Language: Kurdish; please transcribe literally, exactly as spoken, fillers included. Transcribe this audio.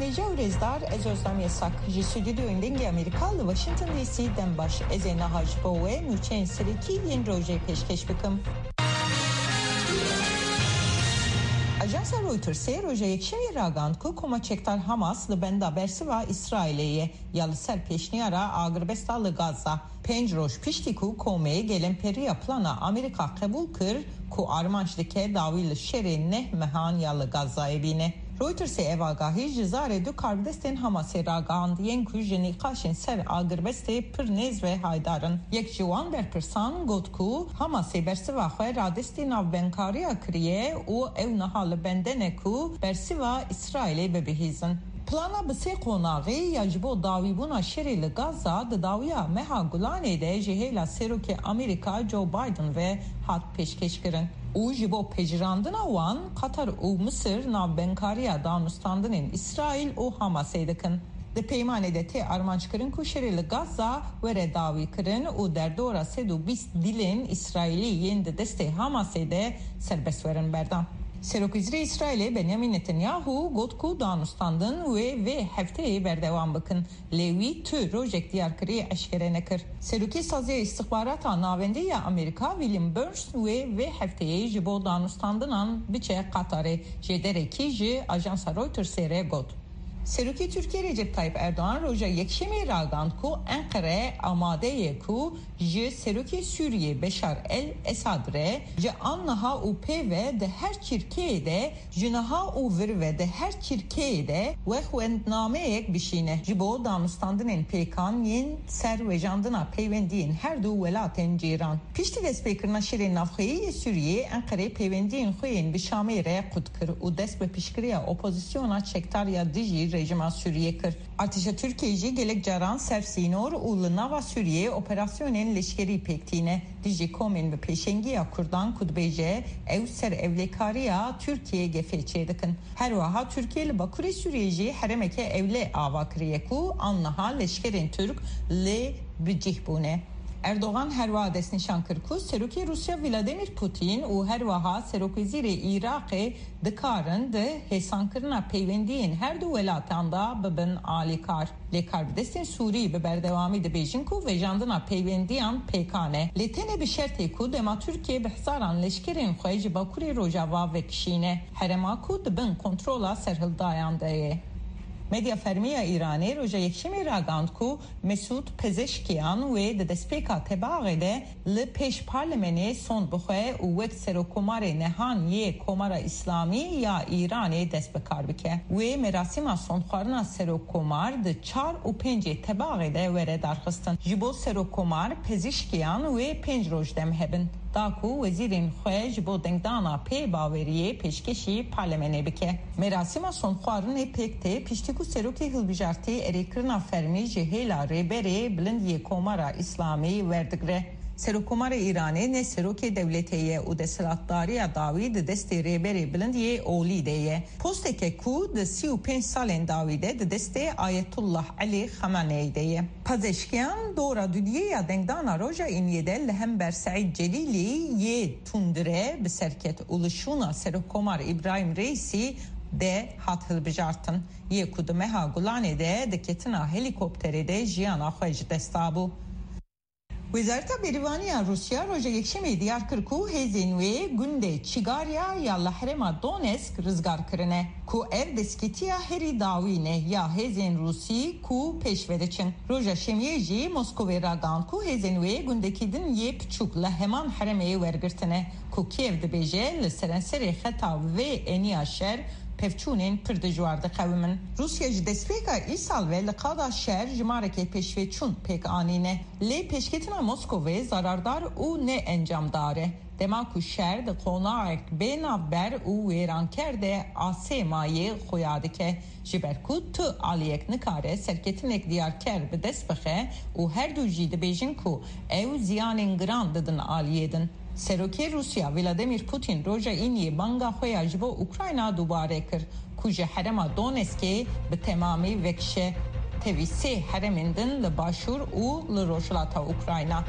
Hêja û rêzdar, ez Özlem Yasak. Ji stûdyoyên Dengê Amerîka li Washington D C dem baş. Ez ê niha ji bo we nûçeyên serekî yên rojê pêşkêş bikim. Ajansa Reutersê roja Yekşemê ragihand ku Koma Çekdar Hamas li benda bersiva Îsraîlê ye ya li ser pêşniyara agirbesta li Gaza. Pênc roj piştî ku komê gelemperîya plana Amerîka qebûl kir ku armanc dike dawî li şerê neh mehan ya li Gazayê bîne. Reutersê ev agahî ji zarê du karbidestên Hamasê ragihand, yên ku ji nîqaşên ser agirbestê pir nêz ve haydar in. Yek ji wan berpirsan got ku Hamasê bersiva xwe radestî navbenkariya kiriye û ew niha li bende ne ku bersiva Îsraîlê bibihîzin. Plana bi sê qonaxê ya ji bo dawîbûna şerê li Gaza di dawiya meha Gulanê de ji hêla Serokê Amerîka Joe Biden ve hat pêşkêşkirin û ji bo pejirandina wan, Qatar û Misir navbenkariya danûstandinên Îsraîl û Hamasê dikin. Di peymanê de tê armanckirin ku şerê li Gaza were dawîkirin û derdora sed û bîst dilên Îsraîlî yên di destê Hamasê de serbest werin berdan. Serokwezîrê Îsraîlê Benyamin Netanyahu got ku danûstandin wê vê hefteyê berdewam bikin, lê wî tu rojek diyar kiriye eşkere nekir. Serokê Saziya Îstixbarata Navendî ya Amerîka William Burns wê vê hefteyê ji bo danûstandinan biçe Qatarê, jêderekî ji ajansa Reutersê re got. Serokê Tirkiyê Recep Tayyip Erdogan roja Yekşemê ragand ku Enqere amade ye ku ji Serokê Sûriyê Beşar el Esad re ji anniha û pê ve di her çirkeyê de, ji niha û vir ve di her çirkeyê de wexwendnameyek bişîne ji bo danûstandinên pêkan yên ser wejandina peywendiyên her du welatên cîran. Piştî destpêkirina şerê navxweyî yê Sûriyê, Enqerê peywendiyên xwe yên bi Şamê re qut kir û dest bi piştgiriya opozisyona çekdar ya dijî rejîma Sûriyê kir. Artêşa Tirkiyê jî gelek caran ser sînor û li nava Sûriyê operasyonên leşkerî pêk tîne dijî komên bi pêşengiya Kurdan ku dibêje ew ser ewlekariya Tirkiyê gefê çêdikin. Her wiha Tirkiye li Bakurê Sûriyê jî herêmeke ewle ava kiriye ku anniha leşkerên Tirk lê bi cih bûne. Erdogan her wiha destnîşan kir ku Serokê Rûsya Vladimir Putin û her wiha Serokwezîrê Iraqê dikarin di hêsankirina peywendiyên her du welatan de bibin alîkar. Lê karbidestên Sûrî bi berdewamî dibêjin ku vejandina peywendiyan pêkan e. Lê tenê bi şertê ku dema Tirkiye bi hezaran leşkerên xwe ji Bakurê Rojava vekişîne, herêma ku di bin kontrola serhildayan de ye. Medya fermî ya Îranê roja Yekşemê ragihand ku Mesûd Pezeşkiyan wê di destpêka tebaxê de li pêş parlemenê sond bixwe û wek Serokkomarê nehan yê Komara Îslamî ya Îranê dest bi kar bike. Wê merasîma sondxwarina Serokkomar di çar û pêncê tebaxê de were darxistin. Ji bo Serokkomar Pezişkiyan wê pênc roj dem hebin, da ku wezîrên xwe ji bo dengdana pê baweriyê pêşkêşî parlemenê bike. Merasîma sondxwarinê pêk tê, piştî ku serokê hilbijartî erêkirina fermî ji hêla Rêberê Bilind yê Komara Îslamî werdigre. Serokkomarê Îranê ne serokê dewletê ye û desthilatdariya dawî di destê Rêberê Bilind yê Olî de ye. Posteke ku di sî û pênc salên dawî de di destê Ayetullah Elî Xameneî de ye. Pazeşkiyan dora dudiyê ya dengdana roja Îniyê de li hember Seîd Celîlî yê tundire bi ser ket û li şûna Serokkomar Îbrahîm Reîsî de hat hilbijartin, yê ku di meha Gulanê de di ketina helîkopterê de jiyana xwe ji dest dabû. Wezareta Berîvanî ya Rûsya roja Yekşemê diyar kir ku hêzên wê gundê Çigarya ya li herêma Donetsk rizgar kirine, ku ev destketiya herî dawî ne ya hêzên Rûsî ku pêş ve diçin. Roja Şemiyê jî Moskovê ragihand ku hêzên wê gundekî din yê piçûk li heman herêmê wergirtine, ku Kiev dibêje li serenserê xeta vê eniya şer pevçûnên pir dijwar diqewimin. Rûsya ji destpêka îsal ve li qada şer jimarekê pêşveçûn pêk anîne. Lê pêşketina Moskovê zarardar û ne encamdar e. Dema ku şer di qonaxek bê navber û wêranker de asê mayê xuya dike. Ji ber ku tu aliyek nikare serketinek diyarker bi dest bixe û her du jî dibêjin ku ew ziyanên giran didin aliyê din. Serokê Rûsya Vladimir Putin roja Îniyê banga xwe ya ji bo Ukrayna dubare kir, ku ji herêma Donetskê bi temamî vekişe tevî sê herêmên din li başûr û li rojhilata Ukrayna.